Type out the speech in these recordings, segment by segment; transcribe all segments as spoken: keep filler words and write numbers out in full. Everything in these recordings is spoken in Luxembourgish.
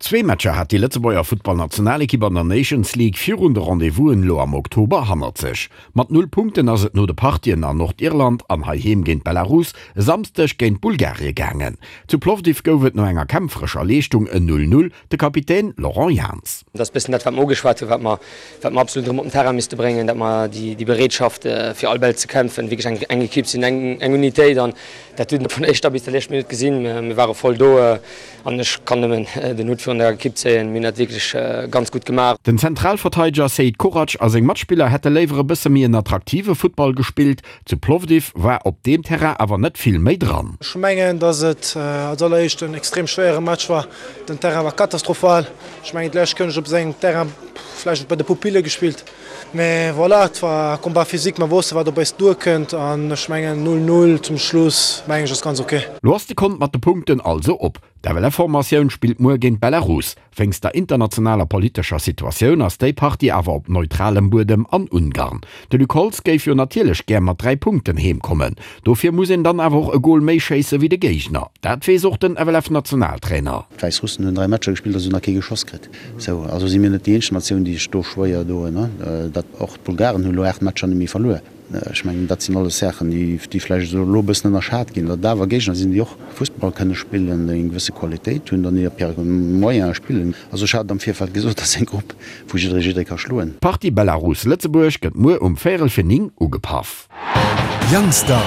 Zwee Matcher hat déi Lëtzebuerger Futtballnationalekipp an der Nations League virun de Rendez-vousen elo am Oktober hannert sech. Mat null Punkten ass et no de Partien an Nordirland an heiheem géint Belarus e Samsdeg géint Bulgarie gaangen. Zu Plovdiv gouf et no enger kämpferescher Leeschtung en Null-Null, de Kapitän Laurent Jans. Dat ass bëssen dat, wat mer ugeschwat hunn, wat mer, wat mer absolut erëm op den Terrain misste bréngen, datt mer déi, déi Bereetschaft, fir all Bäll ze kämpfen, wierklech eng, eng Ekipp sinn, eng, eng Unitéit. An dat huet een vun der éischter bis der leschter Minutt gesinn. Mir ware voll do an ech kann nëmmen den Hutt virun der Ekipp zéien. Mir hunn dat wierklech ganz gutt gemaach. Den Zentralverteideger Seid Korac a seng Matspiller hätte léiwer e bësse méi en attraktive Futtball gespillt. Zu Plovdiv war op deem Terrain awer net vill méi dran. Ech mengen, dass et als alleréischt en extrem schwéiere Match war. Den Terrain war katastrophal. Ech mengen, d'lescht Kéier hunn ech op esou engem Terrain vläicht bei de Pupille gespillt. Mee voilà, et war Combat physique, mer wosste wat op eis duerkënnt an ech mengen null null zum Schluss mengen ech ass ganz ok. Lo ass de Kont mat de Punkten also op. D'FLF-Formatioun spillt muer géint Belarus. Wéinst der internationaler politescher Situatioun ass déi Partie awer op neutralem Buedem an Ungarn. De Luc Holtz géif jo natierlech gär mat dräi Punkten heem kommen. Dofir muss een dann awer och e Gol méi schéisse wéi de Géigner. Dat weess och den FLF-Nationaltrainer. D'Wäissrussen hunn dräi Matcher gespillt a se hunn nach kee geschoss kritt. Sou, also si mir net déi eenzeg Natioun, déi sech do schwéier doen. Dat och d'Bulgaren hunn elo aacht Matcher net méi verluer. Ech mengen, dat sinn alles Saachen, déi vläicht esou elo e bëssen ënnerschat ginn, datt et awer Géigner sinn, déi och Fussball kënne spillen, déi eng gewësse Qualitéit hunn, dann op hire Moyene spillen. Also ech hat am Virfeld gesot, dat ass eng Grupp, wou jidderee jidderee ka schloen. D'Partie Belarus-Lëtzebuerg gëtt muer um véierel fir néng ugepaff. Youngstar.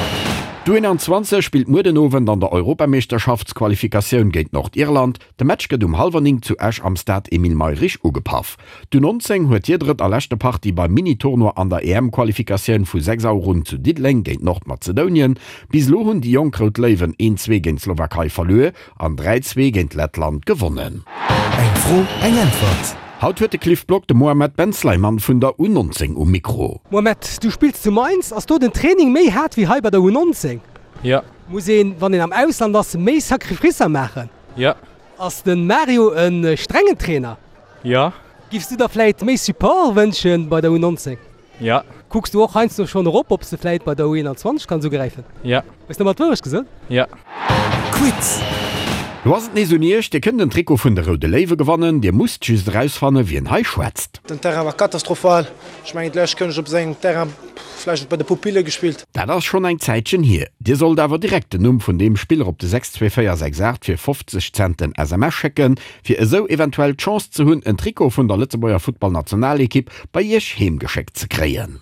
D'U einundzwanzeg spillt muer den Owend an der Europameeschterschaftsqualifikatioun géint Nordirland. De Match gëtt um hallwer néng zu Esch am Stade Emile Mayrisch ugepaff. D'U nonzéng huet hir drëtt a leschte Partie beim Mini-Tournoi an der E M-Qualifikatioun vu sechs Auer un zu Diddeleng géint Nordmazedonien. Bis elo hunn déi jonk Rout Léiwen een zwee géint d'Slowakei verluer an dräi zwee géint Lettland gewonnen. Eng Fro, eng Äntwert. Haut huet de Cliff Block de Mohamed Ben Sleiman vun der U nonzéng um Mikro. Mohamed, du spills zu Mainz. Ass do den Training méi haart wéi hei bei der U nonzéng? Jo. Muss een, wann een am Ausland ass, méi Sacrificer maachen? Jo. Ass de Mario e strengen Trainer? Jo. Giffs du der vläit méi Support wënschen bei der U nonzéng? Jo. Kucks du och heiansdo schonn erop, ob s de vläit bei der U einundzwanzeg kanns ugräifen? Jo. Hues de ëmmer d'Wourecht gesot? Jo. Quiz. Lo ass et nees un iech, Dir kënnt en Trikot vun de Roude Léiwe gewannen. Dir musst just erausfannen, wien hei schwätzt. Den Terrain war katastrophal. Ech mengen, d'lescht Kéier hunn ech op esou engem Terrain vläicht bei de Pupille gespillt. Dat ass schonn eng Zäitchen hier. Dir sollt awer direkt den Numm vun deem Spiller op de sechs zwee véier sechs aacht fir fofzeg Cent en S M S schécken, fir esou eventuell d'Chance ze hunn, en Trikot vun der Lëtzebuerger Futtballnationalekipp bei iech heem geschéckt ze kréien.